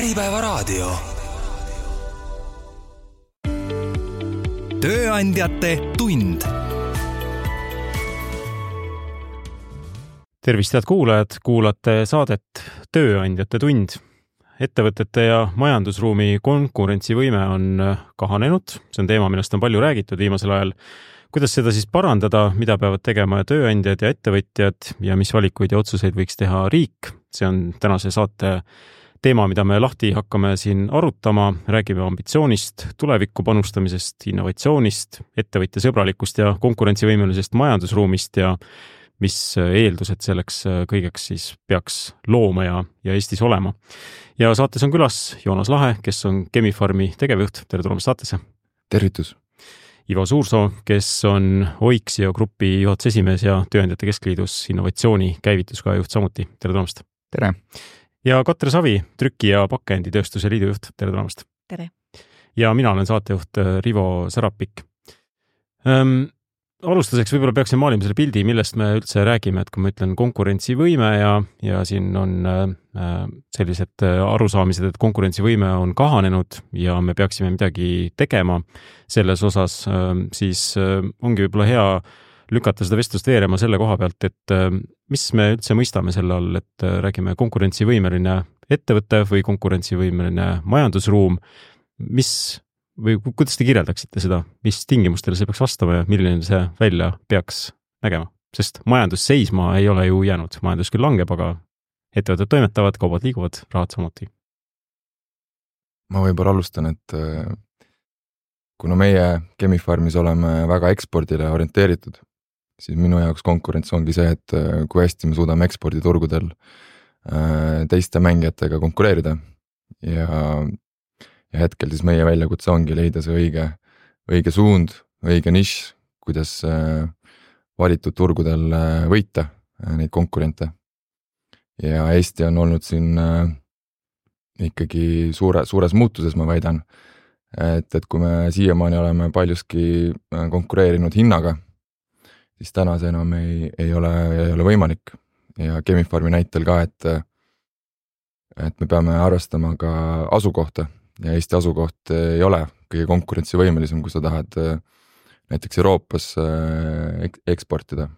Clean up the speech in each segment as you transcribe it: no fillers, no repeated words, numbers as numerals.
Äripäevaraadio. Tööandjate tund. Tervist, head kuulajad, kuulate saadet Tööandjate tund. Ettevõtete ja majandusruumi konkurentsivõime on kahanenud. See on teema, millest on palju räägitud viimasel ajal. Kuidas seda siis parandada, mida peavad tegema tööandjad ja ettevõtjad ja mis valikuid ja otsuseid võiks teha riik? See on tänase saate teema, mida me lahti hakkame siin arutama. Räägime ambitsioonist, tulevikku panustamisest, innovatsioonist, ettevõtja sõbralikust ja konkurentsivõimelisest majandusruumist ja mis eeldused selleks kõigeks siis peaks looma ja Eestis olema. Ja saates on külas Joonas Lahe, kes on Chemi-Pharmi tegevjuht. Tere tulemast saatesse. Tervitus. Ivo Suursoo, kes on Oixio grupi juhatuse esimees ja Tööandjate Keskliidus innovatsiooni käivituskaja juht samuti. Tere tulemast. Tere. Ja Katre Savi, Trüki- ja Pakenditööstuse liidu juht. Tere tulemast. Tere. Ja mina olen saatejuht Rivo Sarapik. Alustuseks võib-olla peaksin maalima selle pildi, millest me üldse räägime, et kui ma ütlen konkurentsivõime ja siin on sellised arusaamised, et konkurentsivõime on kahanenud ja me peaksime midagi tegema selles osas, siis ongi võib-olla hea lükata seda vestlust veerema selle koha pealt, et mis me üldse mõistame selle all, et räägime konkurentsivõimeline ettevõte või konkurentsivõimeline majandusruum, või kuidas te kirjeldaksite seda, mis tingimustele see peaks vastama ja milline see välja peaks nägema? Sest majandus seisma ei ole ju jäänud. Majandus küll langeb, aga ettevõtted toimetavad, kaubad liiguvad, rahad samuti. Ma võib-olla alustan, et kuna meie Chemi-Pharmis oleme väga ekspordile orienteeritud, siis minu jaoks konkurents ongi see, et kui hästi me suudame eksporditurgudel teiste mängijatega konkureerida ja hetkel siis meie väljakutse ongi leida see õige suund, õige nišš, kuidas valitud turgudel võita neid konkurente. Ja Eesti on olnud siin ikkagi suures muutuses, ma väidan, et kui me siiamaani oleme paljuski konkureerinud hinnaga, siis täna see enam ei ole võimalik. Ja Chemi-Pharmi näitel ka, et me peame arvestama ka asukohta. Ja Eesti asukoht ei ole kõige konkurentsivõimelisem, kui sa tahad näiteks Euroopas eksportida.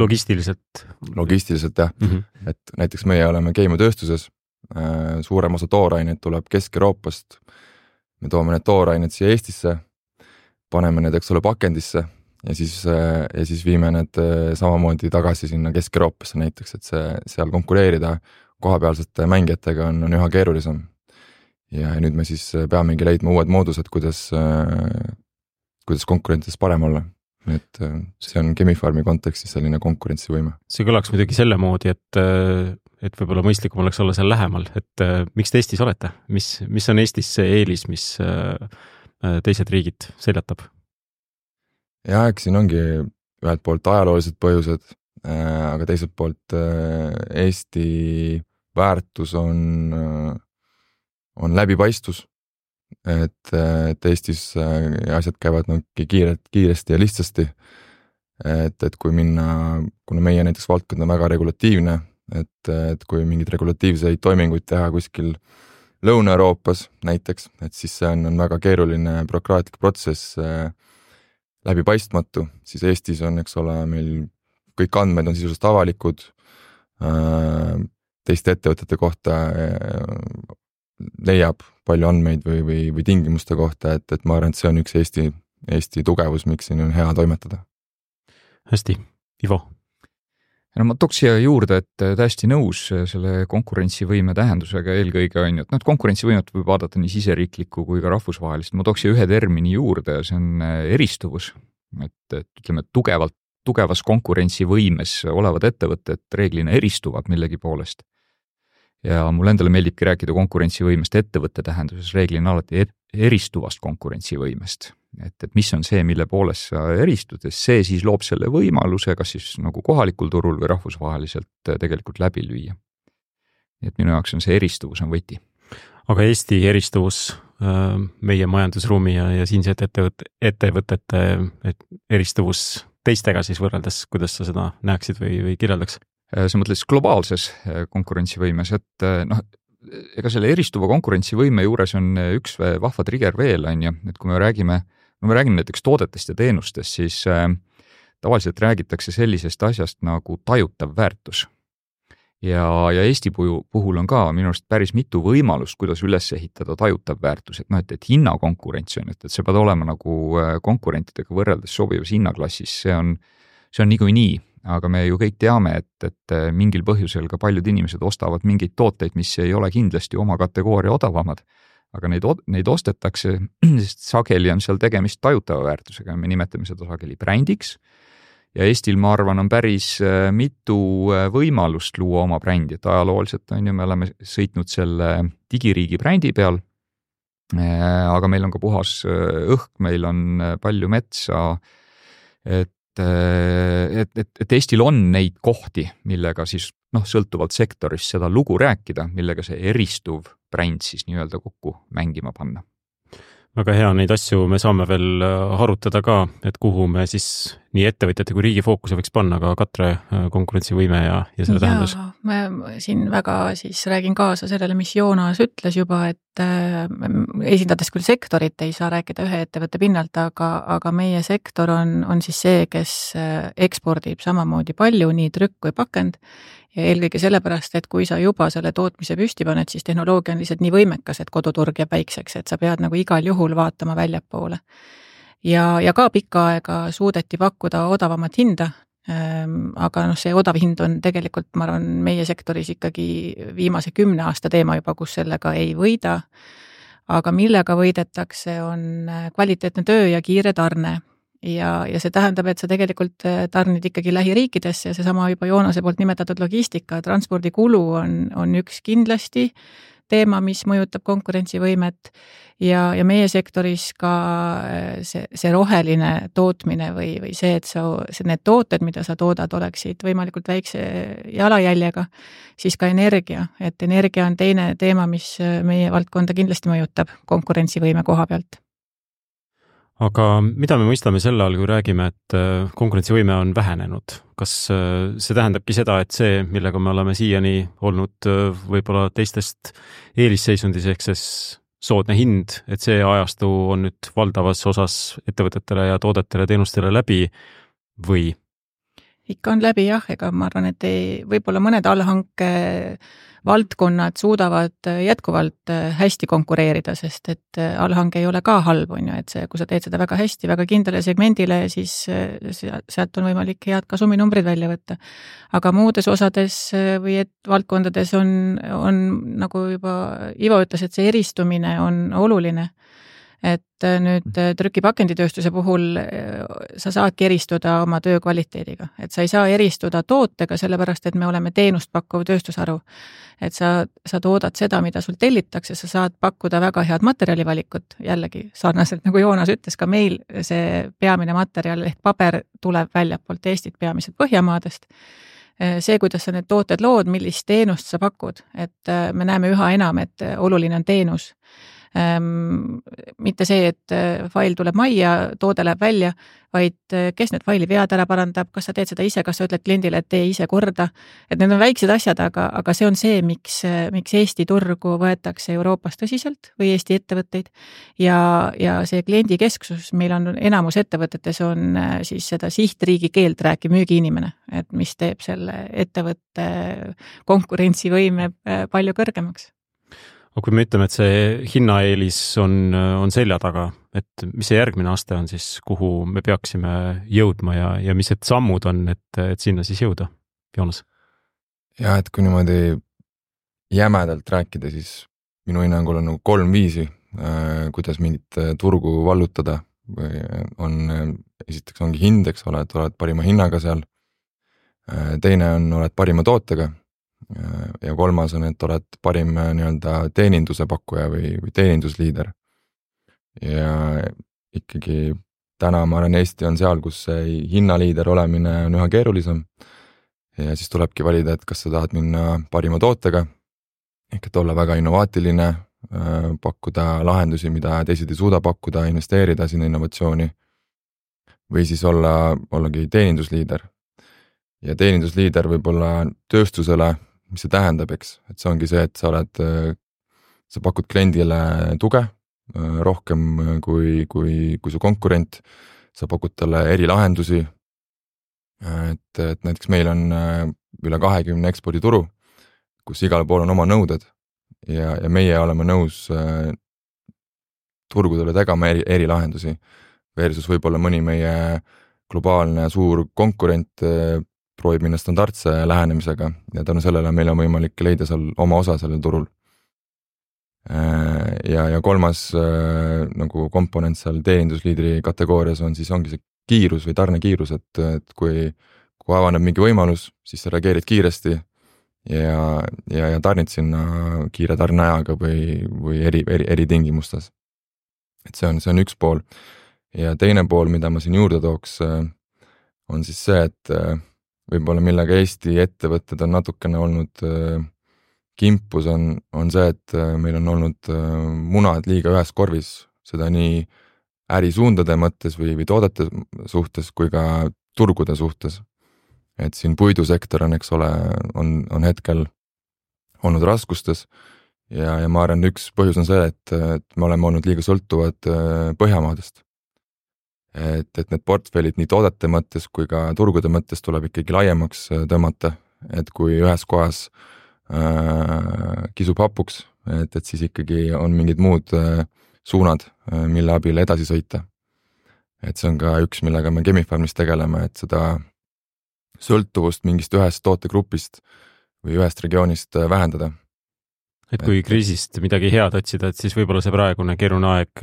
Logistiliselt? Logistiliselt, jah. Et näiteks meie oleme keemiatööstuses, suurem osa tooraineid tuleb Kesk-Euroopast. Me toome need toorained siia Eestisse, paneme need, eks ole, pakendisse ja siis viime need samamoodi tagasi sinna Kesk-Euroopasse näiteks, et seal konkureerida kohapealsete mängijatega on üha keerulisem. Ja nüüd me siis peamegi leidma uued moodused, kuidas konkurentides parem olla. Et see on Chemi-Pharmi kontekstis selline konkurentsivõime. See kõlaks muidugi selle moodi, et võib-olla mõistlikum oleks olla seal lähemal, et miks te Eestis olete? Mis on Eestis see eelis, mis teised riigid seljatab? Ja eks siin ongi ühelt poolt ajaloolised põhjused, aga teiselt poolt Eesti väärtus on läbipaistvus, et Eestis asjad käivad kiiresti ja lihtsasti, et kui minna, kuna meie näiteks valdkond on väga regulatiivne, et kui mingid regulatiivseid toiminguid teha kuskil Lõuna-Euroopas näiteks, et siis see on väga keeruline bürokraatlik protsess, läbipaistmatu, siis Eestis on, eks ole, meil kõik andmed on sisuliselt avalikud, teiste ettevõtete kohta leiab palju andmeid või tingimuste kohta, et ma arvan, et see on üks Eesti tugevus, miks siin on hea toimetada. Hästi, Ivo. No ma tooks siia juurde, et täiesti nõus selle konkurentsivõime tähendusega eelkõige on, et konkurentsivõimet võib vaadata nii siseriiklikku kui ka rahvusvahelist. Ma tooks siia ühe termini juurde ja see on eristuvus. Et ütleme, tugevas konkurentsivõimes olevad ettevõtted reeglina eristuvad millegi poolest. Ja mul endale meeldibki rääkida konkurentsivõimest ettevõtte tähenduses reeglina alati eristuvast konkurentsivõimest. Et mis on see, mille poolest sa eristud, see siis loob selle võimaluse, kas siis nagu kohalikul turul või rahvusvaheliselt tegelikult läbi lüüa. Et minu jaoks on see eristuvus on võti. Aga Eesti eristuvus meie majandusruumi ja siinsed ettevõtete eristuvus teistega siis võrreldes, kuidas sa seda näeksid või kirjeldaks? Sa mõtles globaalses konkurentsivõimes, et ega selle eristuva konkurentsivõime juures on üks vahva trigger veel, on ju, et kui me räägime näiteks toodetest ja teenustest, siis tavaliselt räägitakse sellisest asjast nagu tajutav väärtus. Ja Eesti puhul on ka minu arust päris mitu võimalust, kuidas üles ehitada tajutav väärtus, et hinnakonkurents on, et see peab olema nagu konkurentidega võrreldes sobivas hinnaklassis, see on niikuinii, aga me ju kõik teame, et mingil põhjusel ka paljud inimesed ostavad mingeid tooteid, mis ei ole kindlasti oma kategooria odavamad, aga neid ostetakse, sest sageli on seal tegemist tajutava väärtusega, me nimetame seda sageli brändiks. Ja Eestil, ma arvan, on päris mitu võimalust luua oma brändi, et ajalooliselt on ju, me oleme sõitnud selle digiriigi brändi peal, aga meil on ka puhas õhk, meil on palju metsa, et Eestil on neid kohti, millega siis sõltuvalt sektorist seda lugu rääkida, millega see eristuv bränd siis nii-öelda kokku mängima panna. Väga hea, neid asju me saame veel harutada ka, et kuhu me siis nii ettevõtjate kui riigi fookuse võiks panna, ka Katre konkurentsivõime ja selle tähendus. Ma siin väga siis räägin kaasa sellele, mis Joonas ütles juba, et esindades küll sektorit ei saa rääkida ühe ettevõtte pinnalt, aga meie sektor on siis see, kes ekspordib samamoodi palju, nii trükk kui pakend. Ja eelkõige sellepärast, et kui sa juba selle tootmise püsti paned, siis tehnoloogia on lihtsalt nii võimekas, et koduturg jääb väikseks, et sa pead nagu igal juhul vaatama väljapoole. Ja ka pikka aega suudeti pakkuda odavamat hinda, aga see odav hind on tegelikult, ma arvan, meie sektoris ikkagi viimase 10 aasta teema juba, kus sellega ei võida, aga millega võidetakse, on kvaliteetne töö ja kiire tarne. Ja see tähendab, et sa tegelikult tarnid ikkagi lähiriikidesse ja seesama juba Joonase poolt nimetatud logistika, transpordikulu on üks kindlasti teema, mis mõjutab konkurentsivõimet ja meie sektoris ka see roheline tootmine või see, et need tooted, mida sa toodad, oleksid võimalikult väikse jalajäljega, siis ka energia, et energia on teine teema, mis meie valdkonda kindlasti mõjutab konkurentsivõime koha pealt. Aga mida me mõistame selle all, kui räägime, et konkurentsivõime on vähenenud? Kas see tähendabki seda, et see, millega me oleme siiani olnud võib-olla teistest eelisseisundis ehk siis soodne hind, et see ajastu on nüüd valdavas osas ettevõtetele ja toodetele, teenustele läbi või? Ikka on läbi jah, ega ma arvan, et võib-olla mõned allhanke valdkonnad suudavad jätkuvalt hästi konkureerida, sest et allhange ei ole ka halb, on ju, et kui sa teed seda väga hästi, väga kindlale segmendile, siis sealt on võimalik head kasuminumbrid välja võtta. Aga muudes osades või valdkondades on nagu juba Ivo ütles, et see eristumine on oluline. Et nüüd trükipakenditööstuse puhul sa saadki eristuda oma töö kvaliteediga. Et sa ei saa eristuda tootega, sellepärast, et me oleme teenust pakkuv tööstusharu. Et sa toodad seda, mida sul tellitakse, sa saad pakkuda väga head materjalivalikut. Jällegi, sarnaselt nagu Joonas ütles, ka meil see peamine materjal ehk paber tuleb väljapoolt Eestit peamiselt Põhjamaadest. See, kuidas sa need tooted lood, millist teenust sa pakud, et me näeme üha enam, et oluline on teenus. Mitte see, et fail tuleb majja, toode läheb välja, vaid kes need faili vead ära parandab, kas sa teed seda ise, kas sa ütled kliendile, et tee ise korda. Et need on väiksed asjad, aga see on see, miks Eesti turgu võetakse Euroopas tõsiselt või Eesti ettevõtteid. Ja see kliendi kesksus, meil on enamus ettevõtetes on siis seda sihtriigi keelt rääkiv müügiinimene, et mis teeb selle ettevõtte konkurentsivõime palju kõrgemaks. Aga kui me ütleme, et see hinnaeelis on selja taga, et mis see järgmine aste on siis, kuhu me peaksime jõudma ja mis need sammud on, et sinna siis jõuda? Joonas? Ja, et kui niimoodi jämedalt rääkida, siis minu hinnangul on 3 viisi, kuidas mingit turgu vallutada. Esiteks ongi hind, eks ole, et oled parima hinnaga seal. Teine on, oled parima tootega. Ja 3 on, et oled parim nii-öelda teeninduse pakkuja või teenindusliider. Ja ikkagi täna ma arvan, Eesti on seal, kus see hinnaliider olemine on üha keerulisem. Ja siis tulebki valida, et kas sa tahad minna parima tootega, ehk et olla väga innovaatiline, pakkuda lahendusi, mida teised ei suuda pakkuda, investeerida sinna innovatsiooni või siis ollagi teenindusliider. Ja teenindusliider võib olla tööstusele, mis see tähendab, eks, et see ongi see, et sa oled sa pakud kliendile tuge rohkem kui su konkurent, sa pakud talle erilahendusi, et näiteks meil on üle 20 ekspordituru, kus igal pool on oma nõuded ja meie oleme nõus turgudele tegema erilahendusi versus võib-olla mõni meie globaalne suur konkurent proovib minna standardse lähenemisega ja tänu sellele meil on võimalik leida seal oma osa sellel turul. Ja kolmas nagu komponent seal teenindusliidri kategoorias ongi see kiirus või tarnekiirus, et kui avaneb mingi võimalus, siis sa reageerid kiiresti ja tarnid sinna kiire tarneajaga või eri tingimustes. Et see on üks pool. Ja teine pool, mida ma siin juurde tooks, on siis see, et võib-olla millega Eesti ettevõtted on natukene olnud kimpus, on see, et meil on olnud munad liiga ühes korvis, seda nii ärisuundade mõttes või toodete suhtes kui ka turgude suhtes. Et siin puidusektor on, eks ole, on hetkel olnud raskustes ja ma arvan, üks põhjus on see, et me oleme olnud liiga sõltuvad Põhjamaadest. Et need portfellid nii toodete mõttes kui ka turgude mõttes tuleb ikkagi laiemaks tõmmata, et kui ühes kohas kisub hapuks, et siis ikkagi on mingid muud suunad, mille abil edasi sõita. Et see on ka üks, millega me Chemi-Pharmis tegeleme, et seda sõltuvust mingist ühest tootegrupist või ühest regioonist vähendada. Et kui kriisist midagi head otsida, et siis võib-olla see praegune keeruline aeg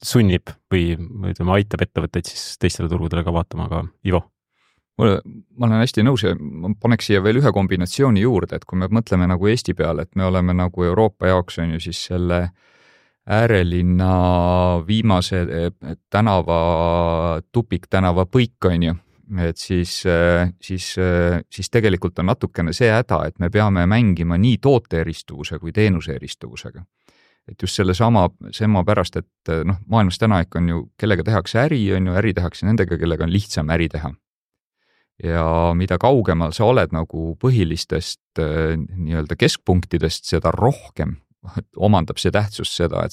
sunnib või ütleme, aitab ettevõtteid siis teistele turgudele ka vaatama, aga Ivo? Ma olen hästi nõus ja ma paneks siia veel ühe kombinatsiooni juurde, et kui me mõtleme nagu Eesti peale, et me oleme nagu Euroopa jaoks on ju siis selle äärelinna viimase tupiktänava põik on ju, et siis tegelikult on natukene see häda, et me peame mängima nii toote eristuvuse kui teenuse eristuvusega. Et just selle pärast, et maailmas täna ikka on ju, kellega tehakse äri, on ju, äri tehakse nendega, kellega on lihtsam äri teha. Ja mida kaugemal sa oled nagu põhilistest nii-öelda keskpunktidest, seda rohkem omandab see tähtsus seda,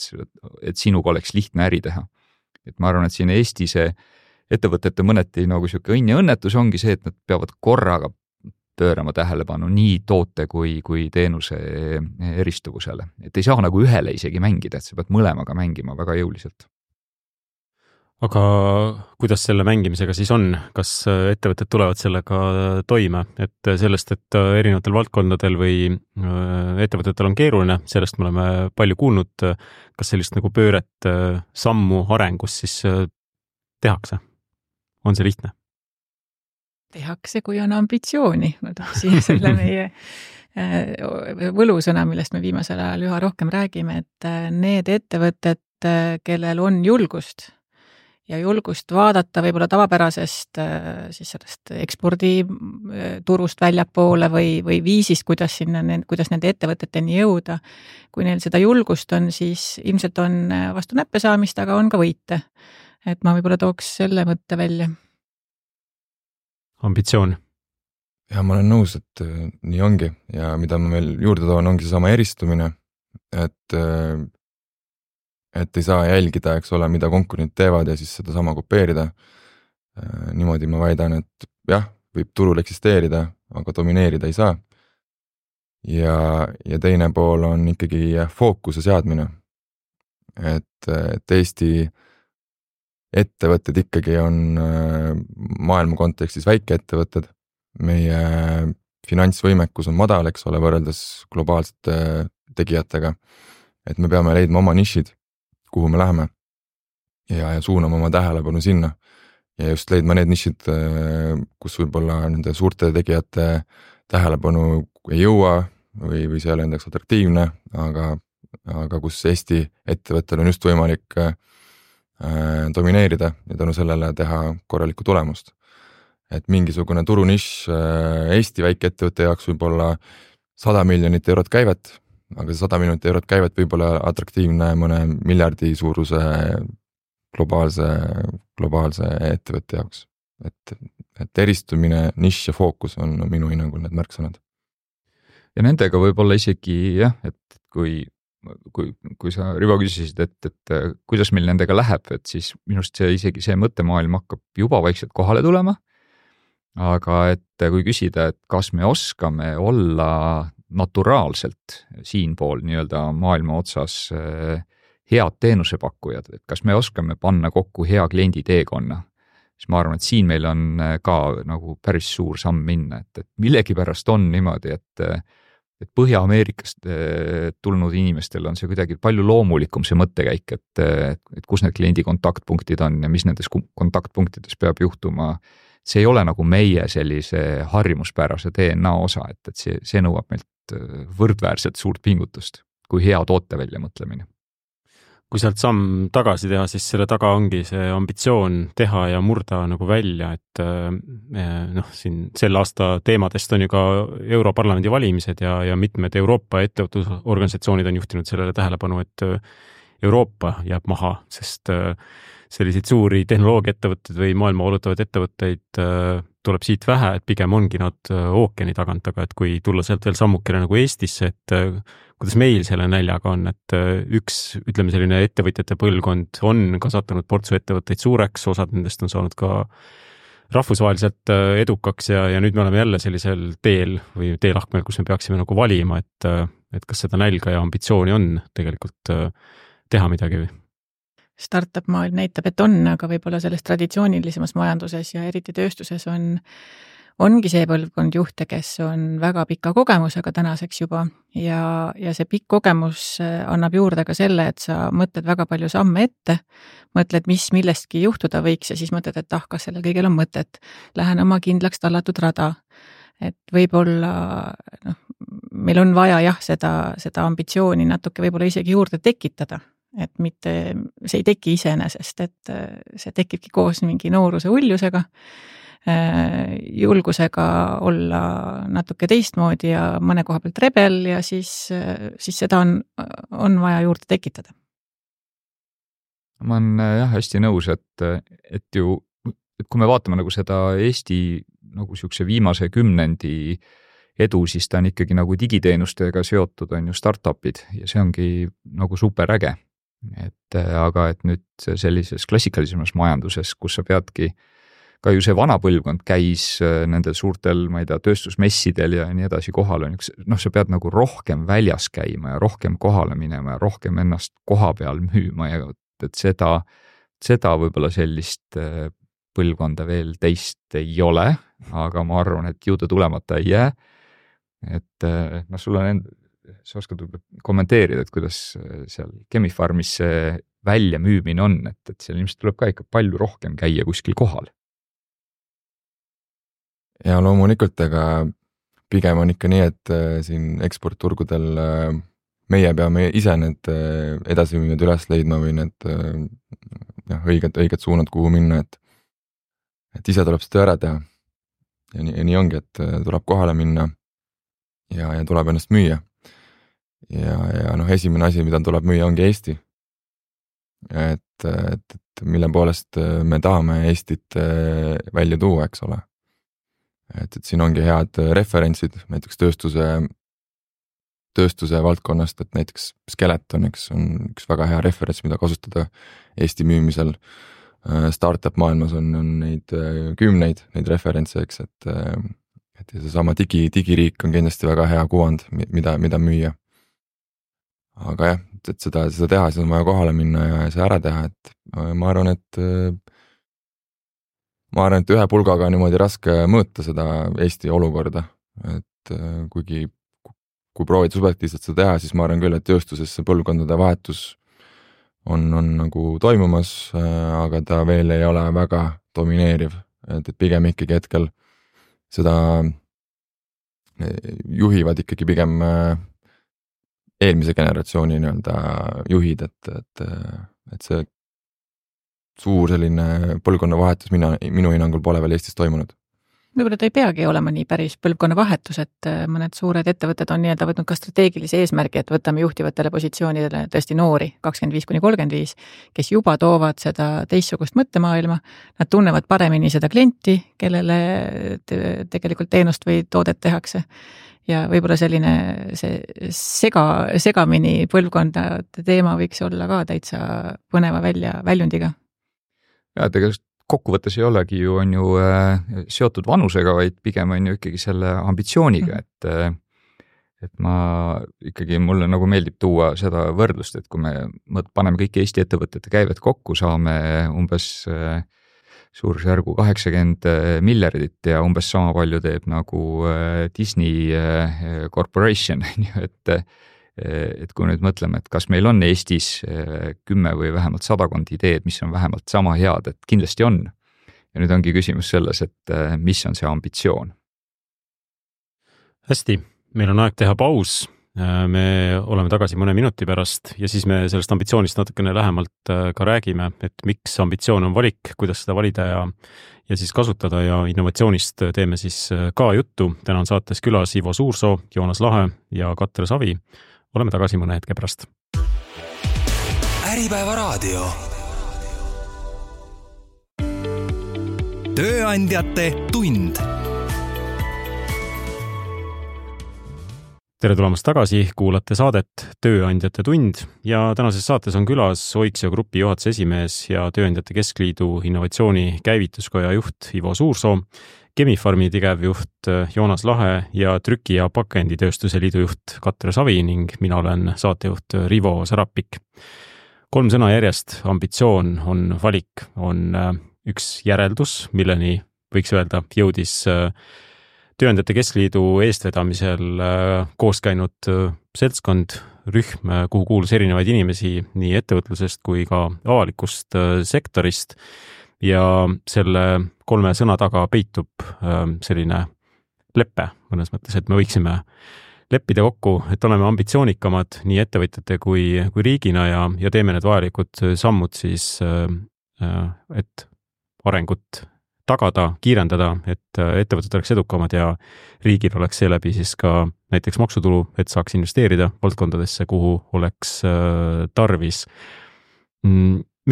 et sinuga oleks lihtne äri teha. Et ma arvan, et siin Eesti see ettevõtete mõneti nagu siuke õnn ja õnnetus ongi see, et nad peavad korraga pöörama tähelepanu nii toote kui teenuse eristuvusele. Et ei saa nagu ühele isegi mängida, et sa pead mõlemaga mängima väga jõuliselt. Aga kuidas selle mängimisega siis on? Kas ettevõtted tulevad sellega toime? Et sellest, et erinevatel valdkondadel või ettevõtetel on keeruline, sellest me oleme palju kuulnud. Kas sellist nagu pööret sammu arengus siis tehakse? On see lihtne? Tehakse, kui on ambitsiooni. Ma tooksin selle meie võlusõna, millest me viimasel ajal üha rohkem räägime, et need ettevõtted, kellel on julgust ja julgust vaadata võib-olla tavapärasest siis sellest eksporditurust väljapoole või viisist, kuidas nende ettevõteteni jõuda. Kui neil seda julgust on, siis ilmselt on vastu näppe saamist, aga on ka võite. Et ma võib-olla tooks selle mõtte välja. Ambitsioon. Ja ma olen nõus, et nii ongi ja mida ma veel juurde toon, ongi see sama eristumine, et ei saa jälgida, eks ole, mida konkurendid teevad ja siis seda sama kopeerida. Niimoodi ma väidan, et jah, võib turul eksisteerida, aga domineerida ei saa. Ja teine pool on ikkagi fookuse seadmine. Et Eesti ettevõtted ikkagi on maailma kontekstis väikeettevõtted. Meie finantsvõimekus on madal, eks ole, võrreldes globaalsete tegijatega. Et me peame leidma oma nišid, kuhu me läheme ja suunama oma tähelepanu sinna. Ja just leidma need nišid, kus võib-olla nende suurte tegijate tähelepanu ei jõua või see ei ole endaks atraktiivne, aga kus Eesti ettevõttel on just võimalik domineerida ja tänu sellele teha korralikku tulemust. Et mingisugune turunišš Eesti väikeettevõtte jaoks võib olla 100 miljonit eurot käivet, aga see 100 miljonit eurot käivet võib olla atraktiivne mõne miljardi suuruse globaalse ettevõtte jaoks. Et eristumine, nišš ja fookus on minu hinnangul need märksõnad. Ja nendega võib olla isegi jah, et kui kui sa, Rivo, küsisid, et kuidas meil nendega läheb, et siis minust isegi see mõttemaailm hakkab juba vaikselt kohale tulema. Aga et kui küsida, et kas me oskame olla naturaalselt siinpool nii-öelda maailma otsas head teenusepakkujad, et kas me oskame panna kokku hea kliendi teekonna, siis ma arvan, et siin meil on ka nagu päris suur samm minna, et millegipärast on niimoodi, et Põhja-Ameerikast tulnud inimestel on see kuidagi palju loomulikum see mõttekäik, et kus need kliendi kontaktpunktid on ja mis nendes kontaktpunktides peab juhtuma. See ei ole nagu meie sellise harjumuspärase DNA osa, et see nõuab meilt võrdväärselt suurt pingutust kui hea toote välja mõtlemine. Kui sealt samm tagasi teha, siis selle taga ongi see ambitsioon teha ja murda nagu välja, et siin sel aasta teemadest on ju ka Europarlamendi valimised ja mitmed Euroopa ettevõtlusorganisatsioonid on juhtinud sellele tähelepanu, et Euroopa jääb maha, sest selliseid suuri tehnoloogiaettevõtteid või maailma valutavaid ettevõtteid tuleb siit vähe, et pigem ongi nad ookeani tagant, aga et kui tulla sealt veel sammukene nagu Eestisse, et kuidas meil selle näljaga on, et üks, ütleme selline ettevõtjate põlvkond on kasvatanud portsu ettevõtteid suureks, osad nendest on saanud ka rahvusvaheliselt edukaks ja nüüd me oleme jälle sellisel teel või teelahkmel, kus me peaksime nagu valima, et kas seda nälga ja ambitsiooni on tegelikult teha midagi või? Startup maailm näitab, et on, aga võib-olla selles traditsioonilisemas majanduses ja eriti tööstuses ongi see põlvkond juhte, kes on väga pika kogemusega tänaseks juba ja see pikk kogemus annab juurde ka selle, et sa mõtled väga palju samme ette, mõtled, mis millestki juhtuda võiks ja siis mõtled, et kas sellel kõigel on mõtet. Lähen oma kindlaks tallatud rada, et võib-olla meil on vaja seda ambitsiooni natuke võib-olla isegi juurde tekitada. Et mitte, see ei teki iseenesest, et see tekibki koos mingi nooruse ullusega, julgusega olla natuke teistmoodi ja mõne koha pealt rebel ja siis seda on vaja juurde tekitada. Ma olen hästi nõus, et kui me vaatame nagu seda Eesti nagu siukse viimase 10 edu, siis ta on ikkagi nagu digiteenustega seotud on ju startupid ja see ongi nagu super äge. Aga et nüüd sellises klassikalisemas majanduses, kus sa peadki, ka ju see vana põlvkond käis nendel suurtel, ma ei tea, tööstusmessidel ja nii edasi kohal on, sa pead nagu rohkem väljas käima ja rohkem kohale minema ja rohkem ennast koha peal müüma ja et seda võib-olla sellist põlvkonda veel teist ei ole, aga ma arvan, et jõuda tulemata ei jää. Et sul on sa oskad kommenteerida, et kuidas seal Chemi-Pharmis see väljamüümine on, et seal ilmselt tuleb ka ikka palju rohkem käia kuskil kohal. Ja loomulikult, aga pigem on ikka nii, et siin eksportturgudel meie peame ise need edasiminud üles leidma või need õiged suunad, kuhu minna, et ise tuleb seda ära teha. Ja nii ongi, et tuleb kohale minna ja tuleb ennast müüa. Ja esimene asi, mida tuleb müüa, ongi Eesti. Et mille poolest me tahame Eestit välja tuua, eks ole. Et siin ongi head referentsid, näiteks tööstuse valdkonnast, et näiteks Skeleton, eks, on üks väga hea referents, mida kasutada Eesti müümisel. Startup maailmas on neid kümneid, neid referentse, eks, et seesama digiriik on kindlasti väga hea kuvand, mida müüa. Aga jah, et seda teha, siis on vaja kohale minna ja see ära teha, et ma arvan, et ühe pulgaga on niimoodi raske mõõta seda Eesti olukorda, et kui proovid subjektiivselt seda teha, siis ma arvan küll, et tööstuses see põlvkondade vahetus on nagu toimumas, aga ta veel ei ole väga domineeriv, et pigem ikkagi hetkel seda juhivad ikkagi pigem eelmise generatsiooni juhid, et see suur selline põlvkonna vahetus minu hinnangul pole veel Eestis toimunud. Võib-olla ta ei peagi olema nii päris põlvkonna vahetus, et mõned suured ettevõtted on nii-öelda võtnud ka strateegilise eesmärgi, et võtame juhtivatele positsioonidele tõesti noori 25–35, kes juba toovad seda teistsugust mõttemaailma, nad tunnevad paremini seda klienti, kellele tegelikult teenust või toodet tehakse ja võib-olla selline see segamini põlvkondade teema võiks olla ka täitsa põneva väljundiga. Ja tegelikult kokkuvõttes ei olegi on ju seotud vanusega, vaid pigem on ju ikkagi selle ambitsiooniga, et ma ikkagi, mulle nagu meeldib tuua seda võrdlust, et kui me paneme kõik Eesti ettevõtete käivet kokku, saame umbes suurusjärgu 80 miljardit ja umbes sama palju teeb nagu Disney Corporation, et kui nüüd mõtleme, et kas meil on Eestis 10 või vähemalt 100 ideed, mis on vähemalt sama head, et kindlasti on. Ja nüüd ongi küsimus selles, et mis on see ambitsioon. Hästi, meil on aeg teha paus. Me oleme tagasi mõne minuti pärast ja siis me sellest ambitsioonist natukene lähemalt ka räägime, et miks ambitsioon on valik, kuidas seda valida ja siis kasutada ja innovatsioonist teeme siis ka juttu. Täna on saates külas Ivo Suursoo, Joonas Lahe ja Katre Savi. Oleme tagasi mõne hetke pärast. Äripäeva raadio. Tööandjate tund. Tere tulemast tagasi, kuulate saadet Tööandjate tund ja tänases saates on külas Oiksio Grupi juhatuse esimees ja Tööandjate Keskliidu innovatsiooni käivituskoja juht Ivo Suursoo, Chemi-Pharmi tegevjuht Joonas Lahe ja Trüki- ja pakenditööstuse liidu juht Katre Savi ning mina olen saatejuht Rivo Sarapik. 3 sõna järjest, ambitsioon on valik, on üks järeldus, milleni võiks öelda jõudis Tööandjate Keskliidu eestvedamisel koos käinud seltskond, rühm, kuhu kuulus erinevaid inimesi nii ettevõtlusest kui ka avalikust sektorist ja selle 3 sõna taga peitub selline leppe mõnes mõttes, et me võiksime leppida kokku, et oleme ambitsioonikamad nii ettevõtjate kui riigina ja teeme need vajalikud sammud siis, et arengut tagada, kiirendada, et ettevõtted oleks edukamad ja riigil oleks seeläbi siis ka näiteks maksutulu, et saaks investeerida valdkondadesse, kuhu oleks tarvis.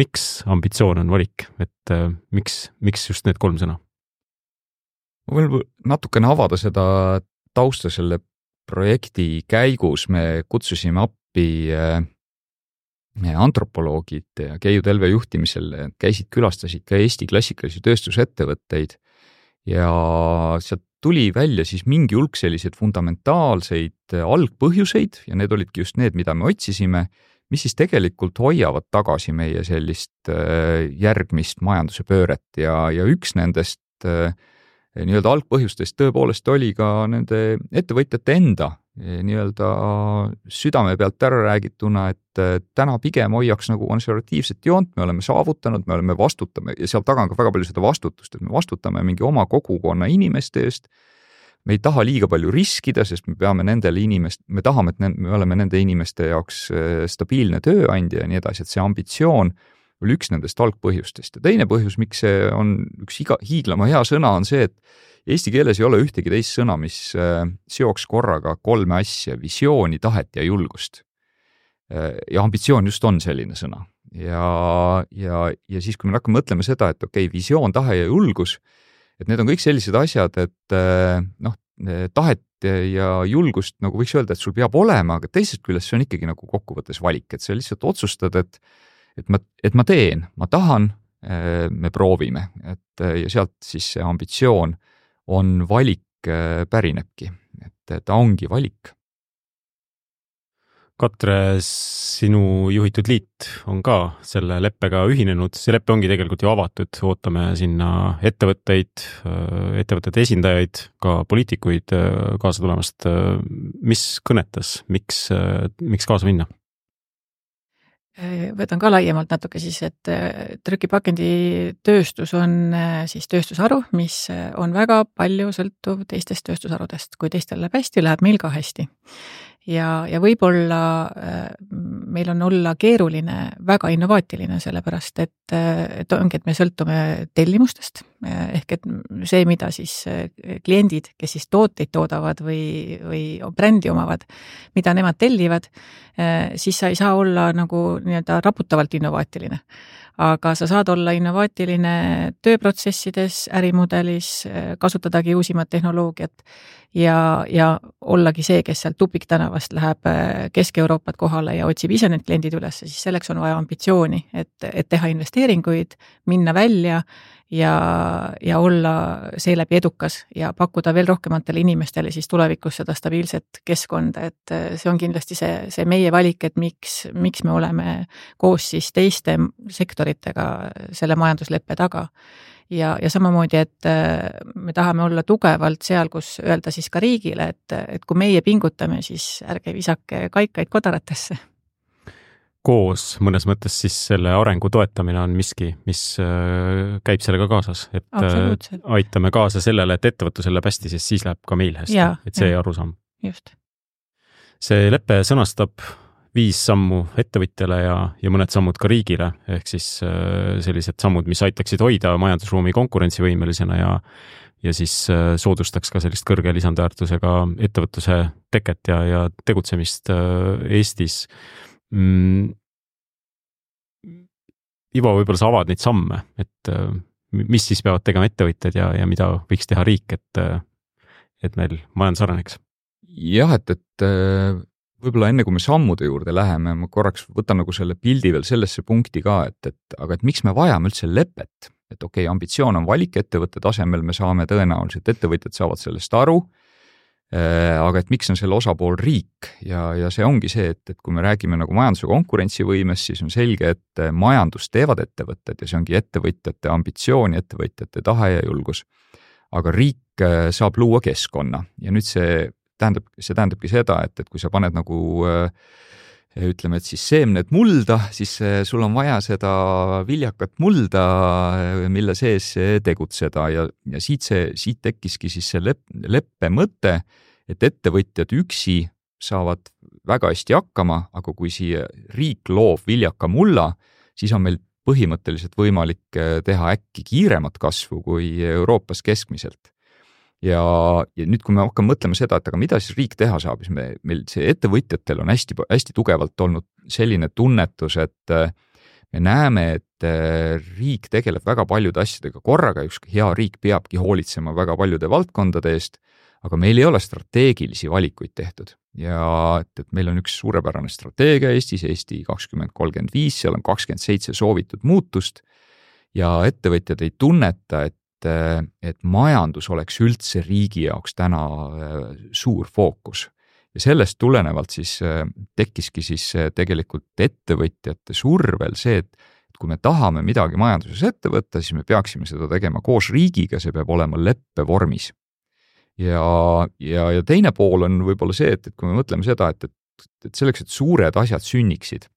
Miks ambitsioon on valik? Et miks just need 3 sõna? Ma võin natukene avada seda tausta selle projekti käigus. Me kutsusime appi antropoloogid ja Keiu Telve juhtimisel külastasid ka Eesti klassikalisi tööstusettevõtteid ja sealt tuli välja siis mingi hulk selliseid fundamentaalseid algpõhjuseid ja need olidki just need, mida me otsisime, mis siis tegelikult hoiavad tagasi meie sellist järgmist majanduse pööret ja üks nendest nii-öelda algpõhjustest tõepoolest oli ka nende ettevõtjate enda nii-öelda südame pealt ära räägituna, et täna pigem hoiaks nagu konservatiivset joont, me oleme saavutanud, me vastutame ja seal taga on ka väga palju seda vastutust, et me vastutame mingi oma kogukonna inimeste eest, me ei taha liiga palju riskida, sest me tahame, et me oleme nende inimeste jaoks stabiilne tööandja ja nii edasi, et see ambitsioon oli üks nendest algpõhjustest ja teine põhjus, miks see on üks hiiglama hea sõna, on see, et eesti keeles ei ole ühtegi teist sõna, mis seoks korraga 3 asja, visiooni, tahet ja julgust. Ja ambitsioon just on selline sõna. Ja siis, kui me hakkame mõtlema seda, et okei, visioon, tahe ja julgus, et need on kõik sellised asjad, et tahet ja julgust nagu võiks öelda, et sul peab olema, aga teisest küljest see on ikkagi nagu kokkuvõttes valik, et sa lihtsalt otsustad, et ma teen, ma tahan, me proovime, ja sealt siis see ambitsioon on valik pärinebki, et ta ongi valik. Katre, sinu juhitud liit on ka selle leppega ühinenud, see leppe ongi tegelikult ju avatud, ootame sinna ettevõtete esindajaid, ka poliitikuid kaasa tulemast. Mis kõnetas, miks kaasa minna? Võtan ka laiemalt natuke siis, et trükipakenditööstus on siis tööstusharu, mis on väga palju sõltuv teistest tööstusharudest. Kui teistel läheb hästi, läheb meil ka hästi. Ja võib-olla meil on olla keeruline, väga innovaatiline, sellepärast, et ongi, et me sõltume tellimustest, ehk et see, mida siis kliendid, kes siis tooteid toodavad või brändi omavad, mida nemad tellivad, siis sa ei saa olla nagu nii-öelda raputavalt innovaatiline. aga sa saad olla innovaatiline tööprotsessides, ärimudelis, kasutadagi uusimat tehnoloogiat ja ollagi see, kes sealt Tupiktänavast läheb Kesk-Euroopat kohale ja otsib ise need kliendid üles, siis selleks on vaja ambitsiooni, et teha investeeringuid, minna välja ja olla seeläbi edukas ja pakkuda veel rohkematele inimestele siis tulevikus seda stabiilset keskkonda, et see on kindlasti see meie valik, et miks me oleme koos siis teiste sektoritega selle majandusleppe taga. Ja samamoodi, et me tahame olla tugevalt seal, kus öelda siis ka riigile, et kui meie pingutame, siis ärge visake kaikaid kodaratesse. Koos mõnes mõttes siis selle arengu toetamine on miski, mis käib sellega kaasas, et aitame kaasa sellele, et ettevõtlusel läheb hästi, siis läheb ka meil hästi, et see arusaam. Just. See lepe sõnastab 5 sammu ettevõtjale ja mõned sammud ka riigile, ehk siis sellised sammud, mis aitaksid hoida majandusruumi konkurentsivõimelisena ja siis soodustaks ka sellist kõrge lisandväärtusega ettevõtluse teket ja tegutsemist Eestis. Ivo, võib-olla sa avad neid samme, et mis siis peavad tegema ettevõtjad ja mida võiks teha riik, et meil majandus areneks? Jah, et võib-olla enne kui me sammude juurde läheme, ma korraks võtan nagu selle pildi veel sellesse punkti ka, aga miks me vajame üldse lepet? Et okei, ambitsioon on valik ettevõtte tasemel, me saame tõenäoliselt, ettevõtjad saavad sellest aru, aga et miks on selle osapool riik ja see ongi see, et kui me räägime nagu majanduse konkurentsivõimest, siis on selge, et majandust teevad ettevõtted ja see ongi ettevõtjate ambitsioon, ettevõtjate tahe ja julgus. Aga riik saab luua keskkonna ja nüüd see tähendabki seda, et kui sa paned nagu ütleme, et siis seemned mulda, siis sul on vaja seda viljakat mulda, mille sees tegutseda ja siit tekkiski siis see leppe mõte, et ettevõtjad üksi saavad väga hästi hakkama, aga kui siia riik loob viljaka mulla, siis on meil põhimõtteliselt võimalik teha äkki kiiremat kasvu kui Euroopas keskmiselt. Ja nüüd, kui me hakkame mõtlema seda, et aga mida siis riik teha saab, siis meil see ettevõtjatel on hästi tugevalt olnud selline tunnetus, et me näeme, et riik tegeleb väga paljude asjadega korraga, üks hea riik peabki hoolitsema väga paljude valdkondade eest, aga meil ei ole strateegilisi valikuid tehtud. Ja et meil on üks suurepärane strateegia Eestis, Eesti 2035, seal on 27 soovitud muutust ja ettevõtjad ei tunneta, et majandus oleks üldse riigi jaoks täna suur fookus. Ja sellest tulenevalt siis tekkiski siis tegelikult ettevõtjate survel see, et kui me tahame midagi majanduses ette võtta, siis me peaksime seda tegema koos riigiga, see peab olema leppe vormis. Ja teine pool on võib-olla see, et kui me mõtleme seda, et selleks, et suured asjad sünniksid,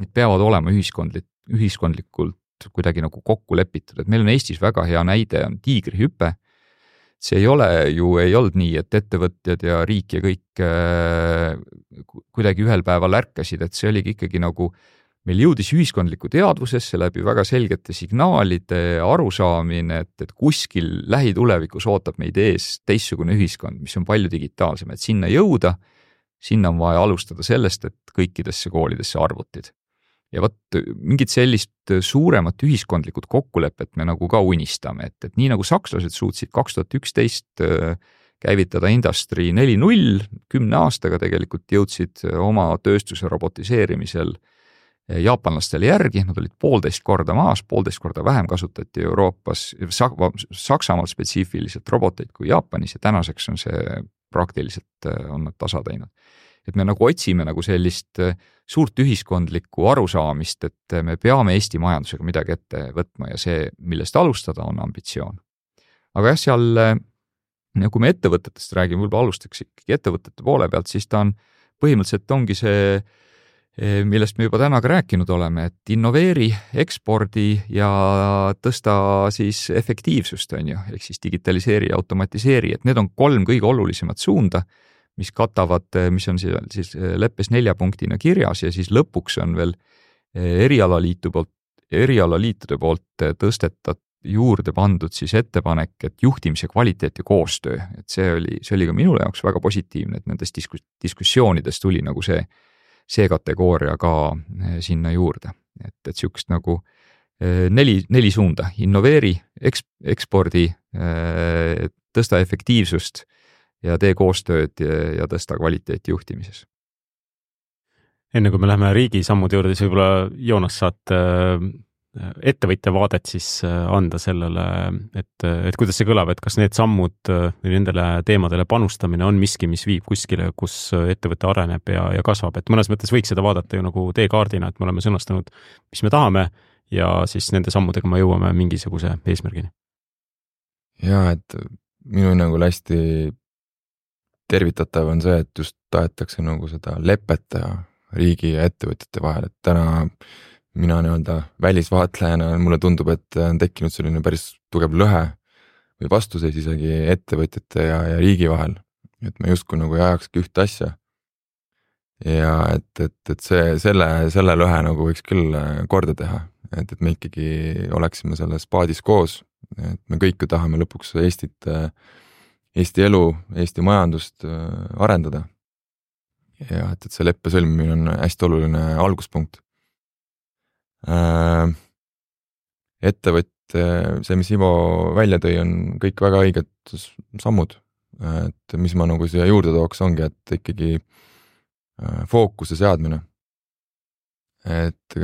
need peavad olema ühiskondlikult kuidagi nagu kokku lepitud, et meil on Eestis väga hea näide, on tiigrihüpe. See ei olnud nii, et ettevõtjad ja riik ja kõik kuidagi ühel päeval ärkasid, et see oligi ikkagi nagu meil jõudis ühiskondliku teadvusesse läbi väga selgete signaalide arusaamine, et kuskil lähitulevikus ootab meid ees teistsugune ühiskond, mis on palju digitaalsem, et sinna jõuda, sinna on vaja alustada sellest, et kõikidesse koolidesse arvutid. Ja mingit sellist suuremat ühiskondlikud kokkulepet me nagu ka unistame, et nii nagu sakslased suutsid 2011 käivitada Industry 4.0, 10 aastaga tegelikult jõudsid oma tööstuse robotiseerimisel jaapanlastele järgi, nad olid 1,5 korda maas, 1,5 korda vähem kasutati Euroopas, Saksamaal spetsiifiliselt roboteid kui Jaapanis ja tänaseks on see praktiliselt on nad tasa teinud. Et me nagu otsime nagu sellist suurt ühiskondlikku arusaamist, et me peame Eesti majandusega midagi ette võtma ja see, millest alustada, on ambitsioon. Aga jah, seal, kui me ettevõtetest räägime, võib-olla alustaks ikkagi ettevõtete poole pealt, siis ta on põhimõtteliselt ongi see, millest me juba täna ka rääkinud oleme, et innoveeri, ekspordi ja tõsta siis efektiivsust, on ju, ehk siis digitaliseeri ja automatiseeri, et need on 3 kõige olulisemat suunda, mis katavad, mis on siis leppes 4 punktina kirjas ja siis lõpuks on veel erialaliitude poolt tõstetat juurde pandud siis ettepanek, et juhtimise kvaliteet ja koostöö, et see oli ka minu jaoks väga positiivne, et nendest diskussioonides tuli nagu see kategooria ka sinna juurde, et sihukest nagu neli suunda: innoveeri, ekspordi, tõsta efektiivsust ja tee koostööd ja tõsta kvaliteeti juhtimises. Enne kui me läheme riigi sammude juurde, siis võib-olla Joonas saad ettevõtja vaadet siis anda sellele, et kuidas see kõlab, et kas need sammud või nendele teemadele panustamine on miski, mis viib kuskile, kus ettevõte areneb ja kasvab, et mõnes mõttes võiks seda vaadata ju nagu teekaardina, et me oleme sõnastanud, mis me tahame ja siis nende sammudega me jõuame mingisuguse eesmärgini. Ja, et minu hinnangul hästi tervitatav on see, et just tahetakse nagu seda lepet riigi ja ettevõtjate vahel, et täna mina nii-öelda välisvaatlejana mulle tundub, et on tekkinud selline päris tugev lõhe või vastuseis isegi ettevõtjate ja riigi vahel, et me justkui nagu ei ajakski ühte asja. Ja et selle lõhe nagu võiks küll korda teha, et me ikkagi oleksime selles paadis koos, et me kõik ju tahame lõpuks Eesti elu, Eesti majandust arendada. Ja et see leppe sõlmimine on hästi oluline alguspunkt. Ettevõtte, see, mis Ivo välja tõi, on kõik väga õiged sammud, et mis ma nagu siia juurde tooks, ongi, et ikkagi fookuse seadmine. Et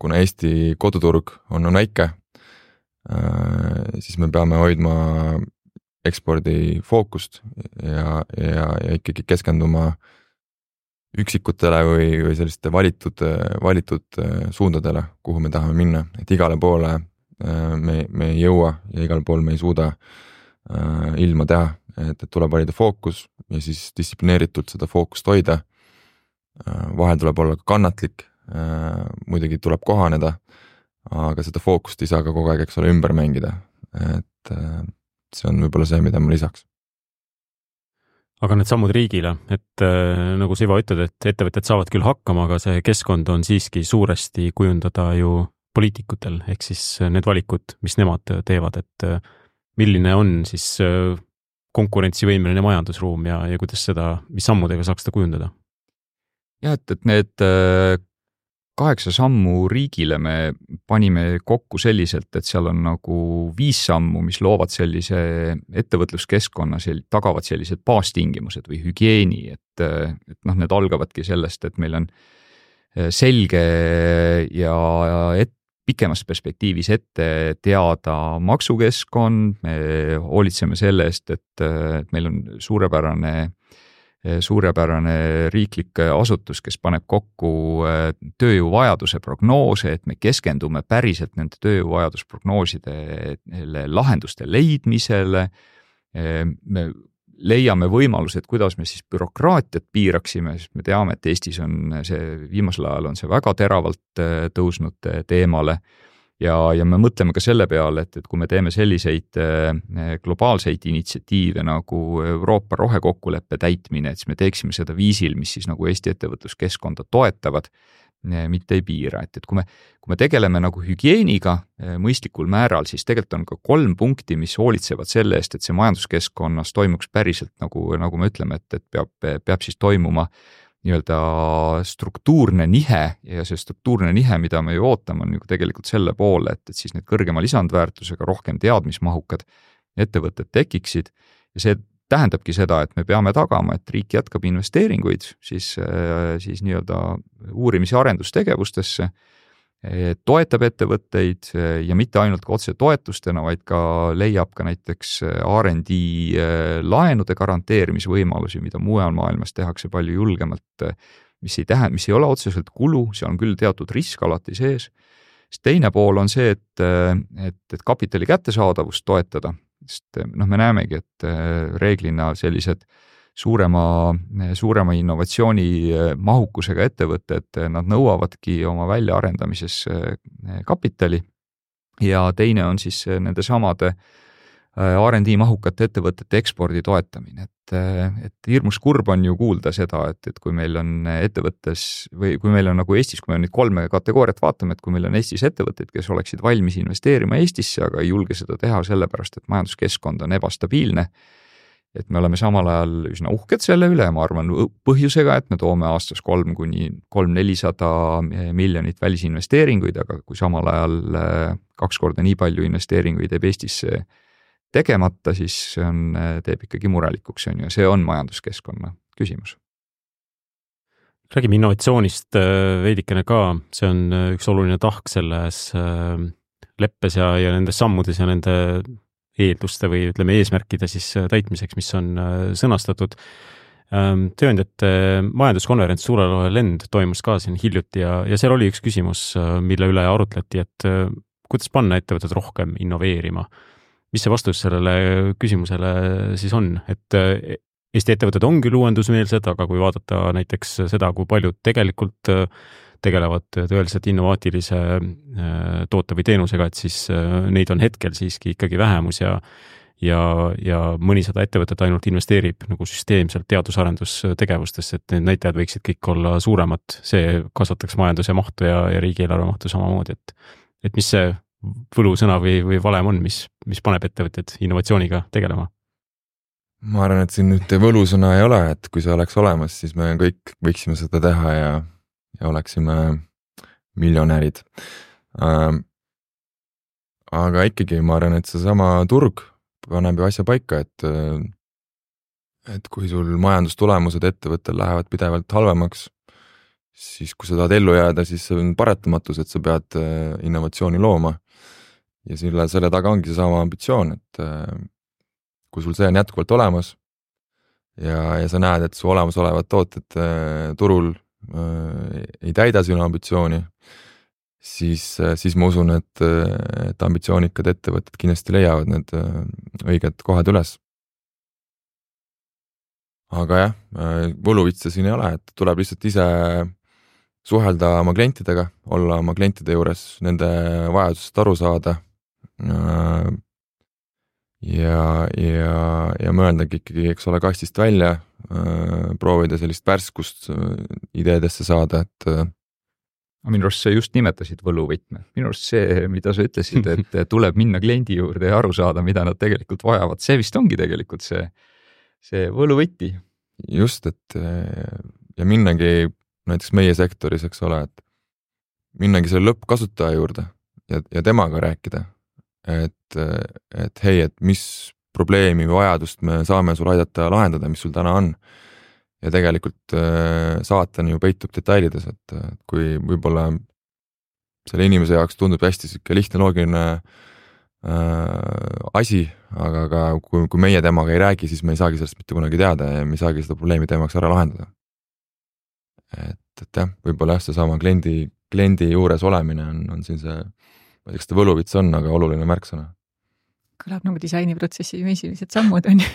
kuna Eesti koduturg on väike, siis me peame hoidma ekspordi fookust ja ikkagi keskenduma üksikutele või selliste valitud suundadele, kuhu me tahame minna, et igale poole me ei jõua ja igal pool me ei suuda ilma teha, et tuleb valida fookus ja siis distsiplineeritult seda fookust hoida. Vahel tuleb olla kannatlik, muidugi tuleb kohaneda, aga seda fookust ei saa ka kogu aeg, eks ole, ümber mängida, et see on võib-olla see, mida ma lisaks. Aga need sammud riigile, et nagu sa Ivo ütled, et ettevõtted saavad küll hakkama, aga see keskkond on siiski suuresti kujundada ju poliitikutel, ehk siis need valikud, mis nemad teevad, et milline on siis konkurentsivõimeline majandusruum ja kuidas seda, mis sammudega saaks seda kujundada? Ja, et need 8 sammu riigile me panime kokku selliselt, et seal on nagu 5 sammu, mis loovad sellise ettevõtluskeskkonna, tagavad sellised baastingimused või hügieeni, et need algavadki sellest, et meil on selge ja pikemas perspektiivis ette teada maksukeskkond, me hoolitseme selle eest, et meil on suurepärane riiklik asutus, kes paneb kokku tööjõuvajaduse prognoose, et me keskendume päriselt nende tööjõuvajadusprognoosidele lahenduste leidmisele. Me leiame võimalused, kuidas me siis bürokraatiat piiraksime, sest me teame, et Eestis on see, viimasel ajal on see väga teravalt tõusnud teemale. Ja me mõtleme ka selle peale, et kui me teeme selliseid globaalseid initsiatiive nagu Euroopa rohekokkuleppe täitmine, et siis me teeksime seda viisil, mis siis nagu Eesti ettevõtluskeskkonda toetavad, mitte ei piira. Et kui me tegeleme nagu hügieeniga mõistlikul määral, siis tegelikult on ka 3 punkti, mis hoolitsevad selle eest, et see majanduskeskkonnas toimuks päriselt, nagu me ütleme, et peab siis toimuma nii-öelda struktuurne nihe ja see struktuurne nihe, mida me ju ootame, on ju tegelikult selle poole, et siis need kõrgema lisandväärtusega rohkem teadmismahukad ettevõtted tekiksid ja see tähendabki seda, et me peame tagama, et riik jätkab investeeringuid siis nii-öelda uurimis- ja arendustegevustesse, toetab ettevõtteid ja mitte ainult ka otse toetustena, vaid ka leiab ka näiteks R&D laenude garanteerimisvõimalusi, mida mujal maailmas tehakse palju julgemalt, mis ei ole otseselt kulu, see on küll teatud risk alati sees. Teine pool on see, et kapitali kättesaadavust toetada, sest me näemegi, et reeglina sellised suurema innovatsiooni mahukusega ettevõtted, nad nõuavadki oma väljaarendamises kapitali ja teine on siis nende samade R&D mahukate ettevõtete ekspordi toetamine, et hirmus kurb on ju kuulda seda, et kui meil on ettevõttes või kui meil on nagu Eestis, kui me nüüd 3 kategooriat vaatame, et kui meil on Eestis ettevõtteid, kes oleksid valmis investeerima Eestisse, aga ei julge seda teha sellepärast, et majanduskeskkond on ebastabiilne et me oleme samal ajal üsna uhked selle üle, ma arvan põhjusega, et me toome aastas 300–400 miljonit välisinvesteeringuid, aga kui samal ajal 2 korda nii palju investeeringuid jääb Eestisse tegemata, siis see teeb ikkagi murelikuks, ja see on majanduskeskkonna küsimus. Räägime innovatsioonist veidikene ka, see on üks oluline tahk selles leppes ja nendes sammudes ja nende eelduste või ütleme eesmärkide siis täitmiseks, mis on sõnastatud. Tööandjate majanduskonverents Suurelohe lend toimus ka siin hiljuti ja seal oli üks küsimus, mille üle arutleti, et kuidas panna ettevõtted rohkem innoveerima. Mis see vastus sellele küsimusele siis on? Et Eesti ettevõtted on küll uuendusmeelsed, aga kui vaadata näiteks seda, kui paljud tegelikult tegelevad tõeliselt innovaatilise toote või teenusega, et siis neid on hetkel siiski ikkagi vähemus ja mõnisada ettevõtet ainult investeerib nagu süsteemselt teadus-arendustegevustesse, et need näitajad võiksid kõik olla suuremad, see kasvataks majanduse mahtu ja riigieelarve mahtu samamoodi, et mis see võlusõna või valem on, mis paneb ettevõtted innovatsiooniga tegelema? Ma arvan, et siin nüüd võlusõna ei ole, et kui see oleks olemas, siis me kõik võiksime seda teha ja oleksime miljonärid. Aga ikkagi ma arvan, et see sama turg paneb ju asja paika, et kui sul majandustulemused ettevõttel lähevad pidevalt halvemaks, siis kui sa tahad ellu jääda, siis see on paratamatus, et sa pead innovatsiooni looma. Ja selle taga ongi see sama ambitsioon, et kui sul see on jätkuvalt olemas ja sa näed, et su olemasolevad tooted turul ei täida sinu ambitsiooni, siis ma usun, et ambitsioonikad ettevõtted kindlasti leiavad need õiged kohad üles. Aga jah, võluvitse siin ei ole, et tuleb lihtsalt ise suhelda oma klientidega, olla oma klientide juures, nende vajadusest aru saada ja mõeldagi ikkagi, eks ole, kastist välja, proovida sellist värskust ideedesse saada, et minu arust sa just nimetasid võluvõtme. Minu arust see, mida sa ütlesid, et tuleb minna kliendi juurde ja aru saada, mida nad tegelikult vajavad, see vist ongi tegelikult see võluvõti. Just, et ja minnagi näiteks meie sektoris, eks ole, et minnagi selle lõppkasutaja juurde ja temaga rääkida, et hei, et mis probleemi või vajadust me saame sul aidata lahendada, mis sul täna on. Ja tegelikult saatan ju peitub detailides, et kui võib-olla selle inimese jaoks tundub hästi lihtne loogiline asi, aga kui meie temaga ei räägi, siis me ei saagi sellest mitte kunagi teada ja me ei saagi seda probleemi temaks ära lahendada. Et jah, võib-olla see sama kliendi juures olemine on siin see, ma ei tea, kas ta võluvits on, aga oluline märksõna. Kõlab nagu disainiprotsessi esimesed sammud on ju,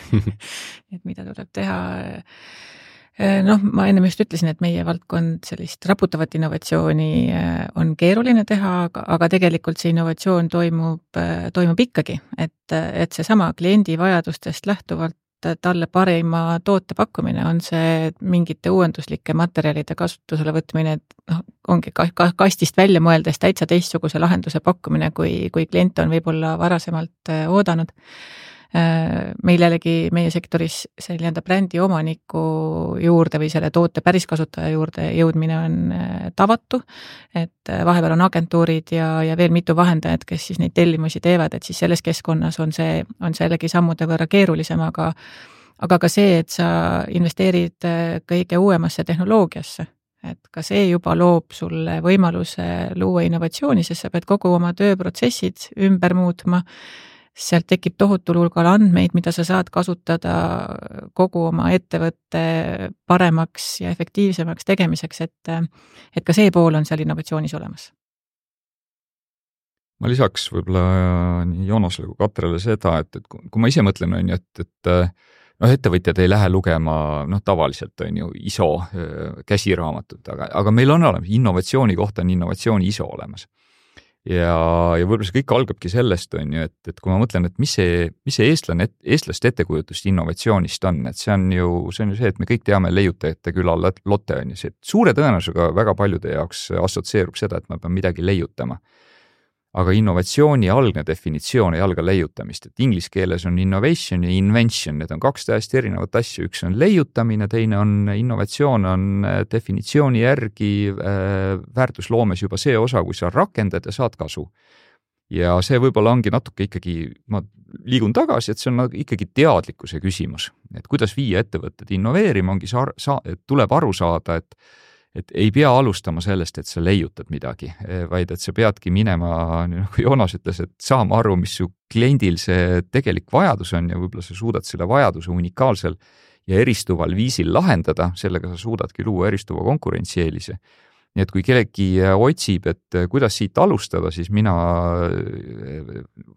et mida tuleb teha. Ma enne just ütlesin, et meie valdkond sellist raputavat innovatsiooni on keeruline teha, aga tegelikult see innovatsioon toimub ikkagi, et see sama kliendi vajadustest lähtuvalt talle parima toote pakkumine on see mingite uuenduslike materjalide kasutusele võtmine, et ongi kastist välja mõeldes täitsa teistsuguse lahenduse pakkumine, kui klient on võib-olla varasemalt oodanud. Meil jällegi meie sektoris see brändi omaniku juurde või selle toote päris kasutaja juurde jõudmine on tavatu, et vahepeal on agentuurid ja veel mitu vahendajat, kes siis neid tellimusi teevad, et siis selles keskkonnas on see jällegi sammude võrra keerulisem, aga ka see, et sa investeerid kõige uuemasse tehnoloogiasse, et ka see juba loob sulle võimaluse luua innovatsiooni, sest sa pead kogu oma tööprotsessid ümber muutma. Sealt tekib tohutul hulgal andmeid, mida sa saad kasutada kogu oma ettevõtte paremaks ja efektiivsemaks tegemiseks, et ka see pool on seal innovatsioonis olemas. Ma lisaks võib-olla nii Joonasele kui Katrele seda, et kui ma ise mõtlen, on ju, et ettevõtjad ei lähe lugema tavaliselt on ju ISO käsiraamatut, aga meil on olemas, innovatsiooni kohta on innovatsiooni ISO olemas. Ja võib-olla see kõik algabki sellest, on ju, et kui ma mõtlen, et mis see eestlaste ettekujutust innovatsioonist on, et see on ju see, et me kõik teame leiutajate küla Lotte, on ju see, et suure tõenäosusega väga paljude jaoks assotsieerub seda, et ma pean midagi leiutama. aga innovatsiooni algne definitsioon ei alga leiutamist, et inglise keeles on innovation ja invention, need on kaks täiesti erinevat asju, üks on leiutamine, teine on innovatsioon, on definitsiooni järgi väärtusloomes juba see osa, kui sa rakendad ja saad kasu. Ja see võib-olla ongi natuke ikkagi, ma liigun tagasi, et see on ikkagi teadlikkuse küsimus, et kuidas viia ettevõtted innoveerima, ongi tuleb aru saada, et ei pea alustama sellest, et sa leiutad midagi, vaid et sa peadki minema, nagu Joonas ütles, et saama aru, mis su kliendil see tegelik vajadus on ja võib-olla sa suudad selle vajaduse unikaalsel ja eristuval viisil lahendada, sellega sa suudadki luua eristuva konkurentsieelise. Nii et kui kellegi otsib, et kuidas siit alustada, siis mina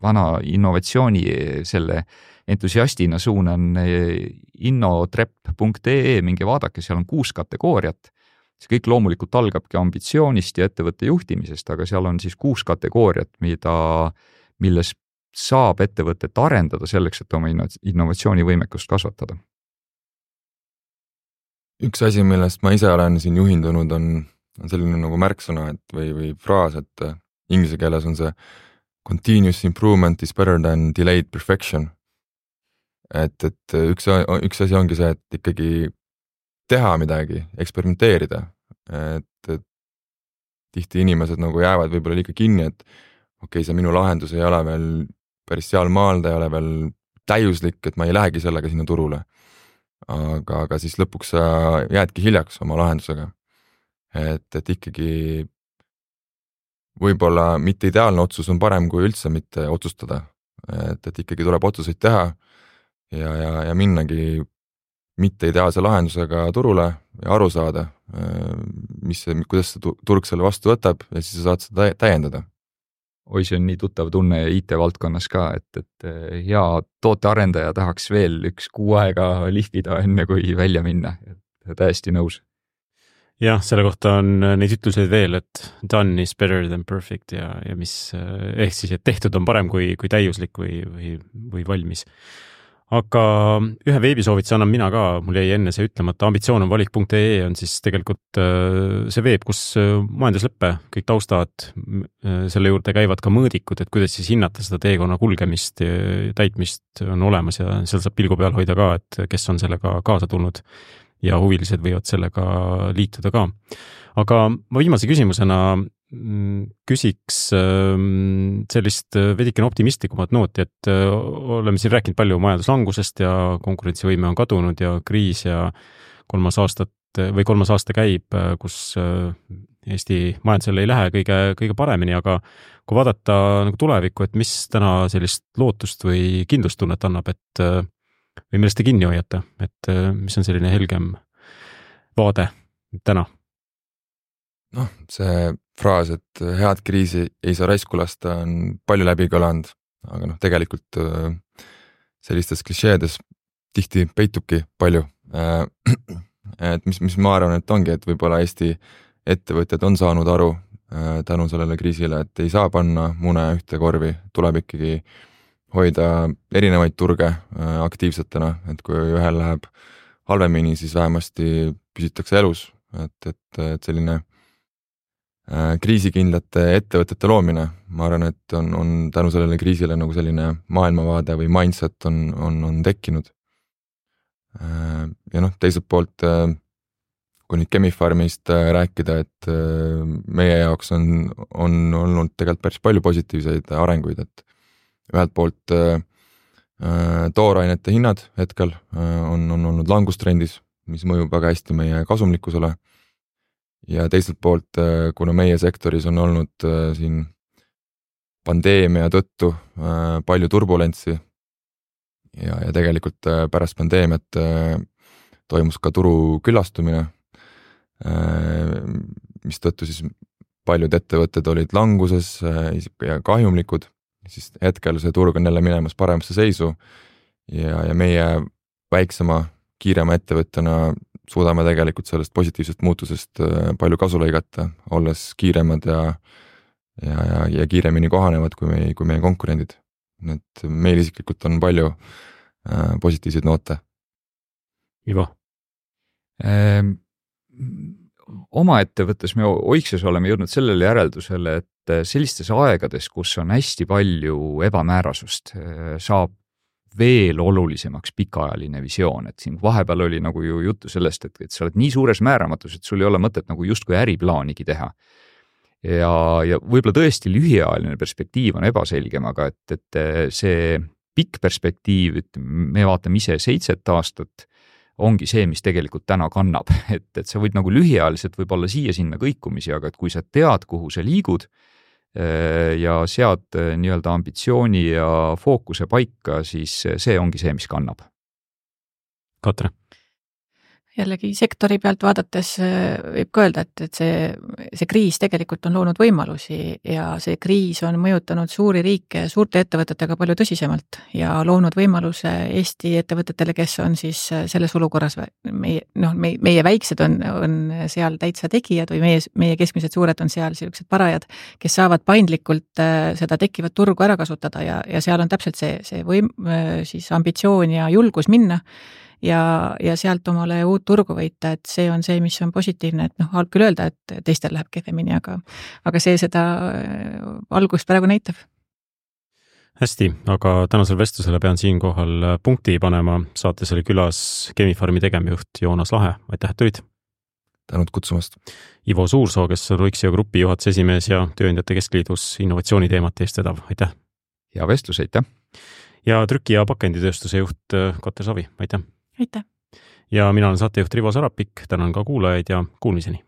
vana innovatsiooni selle entusiastina suunan innotrep.ee, minge vaadake, seal on 6 kategooriat. See kõik loomulikult algabki ambitsioonist ja ettevõtte juhtimisest, aga seal on siis 6 kategooriat, milles saab ettevõtet arendada selleks, et oma innovatsioonivõimekust kasvatada. Üks asi, millest ma ise olen siin juhindunud, on selline nagu märksõna või fraas, et inglise keeles on see continuous improvement is better than delayed perfection. Et üks asi ongi see, et ikkagi teha midagi, eksperimenteerida, et tihti inimesed nagu jäävad võib-olla liiga kinni, et okei, see minu lahendus ei ole veel päris seal maal, ta ei ole veel täiuslik, et ma ei lähegi sellega sinna turule. Aga siis lõpuks sa jäädki hiljaks oma lahendusega. Et ikkagi võib-olla mitte ideaalne otsus on parem kui üldse mitte otsustada, et ikkagi tuleb otsuseid teha ja minnagi mitte ideaalse lahendusega turule ja aru saada, kuidas see turg selle vastu võtab ja siis sa saad seda täiendada. Oi, see on nii tuttav tunne IT-valdkonnas ka, et hea tootearendaja tahaks veel 1 kuu aega lihvida enne kui välja minna, täiesti nõus. Jah, selle kohta on neid ütluseid veel, et done is better than perfect ja mis ehk siis, et tehtud on parem kui täiuslik või valmis. Aga ühe veebisoovituse annan mina ka, mul jäi enne see ütlemata, ambitsioon on valik.ee on siis tegelikult see veeb, kus majandusleppe, kõik taustad, selle juurde käivad ka mõõdikud, et kuidas siis hinnata seda teekonna kulgemist, täitmist on olemas ja seal saab pilgu peal hoida ka, et kes on sellega kaasa tulnud ja huvilised võivad sellega liituda ka. Aga ma viimase küsimusena küsiks sellist veidikene optimistlikumat nooti, et oleme siin rääkinud palju majanduslangusest ja konkurentsivõime on kadunud ja kriis ja 3. aasta käib, kus Eesti majandusel ei lähe kõige paremini, aga kui vaadata nagu tulevikku, et mis täna sellist lootust või kindlustunnet annab, et või millest te kinni hoiate, et mis on selline helgem vaade täna? Noh, see fraas, et head kriisi ei saa raisku lasta, on palju läbi kõlanud, aga tegelikult sellistes klišeedes tihti peitubki palju. Et mis ma arvan, et ongi, et võib-olla Eesti ettevõtjad on saanud aru tänu sellele kriisile, et ei saa panna mune ühte korvi, tuleb ikkagi hoida erinevaid turge aktiivsetena, et kui ühel läheb halvemini, siis vähemasti püsitakse elus, et selline kriisikindlate ettevõtete loomine, ma arvan, et on tänu sellele kriisile nagu selline maailmavaade või mindset on tekkinud. Ja teiselt poolt, kui nüüd Chemi-Pharmist rääkida, et meie jaoks on olnud tegelikult päris palju positiivseid arenguid, et ühelt poolt toorainete hinnad hetkel on olnud langustrendis, mis mõjub väga hästi meie kasumlikkusele. Ja teiselt poolt, kuna meie sektoris on olnud siin pandeemia tõttu palju turbulentsi ja tegelikult pärast pandeemiat toimus ka turu küllastumine, mis tõttu siis paljud ettevõtted olid languses ja kahjumlikud, siis hetkel see turg on jälle minemas paremasse seisu ja meie väiksema, kiirema ettevõttena suudame tegelikult sellest positiivsest muutusest palju kasu lõigata, olles kiiremad ja kiiremini kohanevad kui meie konkurendid. Et meil isiklikult on palju positiivseid noote. Ivo? Oma ettevõttes me oikses oleme jõudnud sellele järeldusele, sellistes aegades, kus on hästi palju ebamäärasust, saab veel olulisemaks pikaajaline visioon, et siin vahepeal oli nagu ju juttu sellest, et sa oled nii suures määramatus, et sul ei ole mõtet nagu justkui äriplaanigi teha. Ja võib-olla tõesti lühiajaline perspektiiv on ebaselgem, aga et see pikk perspektiiv, me vaatame ise 7 aastat, ongi see, mis tegelikult täna kannab, et sa võid nagu lühiajaliselt võib-olla siia-sinna kõikumisi, aga et kui sa tead, kuhu sa liigud ja sead nii-öelda ambitsiooni ja fookuse paika, siis see ongi see, mis kannab. Katre? Jällegi sektori pealt vaadates võib ka öelda, et see kriis tegelikult on loonud võimalusi ja see kriis on mõjutanud suuri riike suurte ettevõtetega palju tõsisemalt ja loonud võimaluse Eesti ettevõtetele, kes on siis selles olukorras, meie väiksed on seal täitsa tegijad või meie keskmised suured on seal sellised parajad, kes saavad paindlikult seda tekkivat turgu ära kasutada ja seal on täpselt see siis ambitsioon ja julgus minna ja sealt omale uut turgu võita, et see on see, mis on positiivne, et halb küll öelda, et teistel läheb kehvemini, aga see seda algust praegu näitab. Hästi, aga tänasel vestlusele pean siinkohal punkti panema. Saates oli külas Chemi-Pharmi tegevjuht Joonas Lahe. Aitäh, et tulid! Tänud kutsumast! Ivo Suursoo, kes on Ruixio Grupi juhatuse esimees ja Tööandjate Keskliidus innovatsiooniteemat eest vedav. Aitäh! Hea vestlus, aitäh! Ja trüki- ja pakenditööstuse juht Katre Savi. Aitäh! Aitäh! Ja mina olen saatejuht Rivo Sarapik, tänan ka kuulajaid ja kuulmiseni!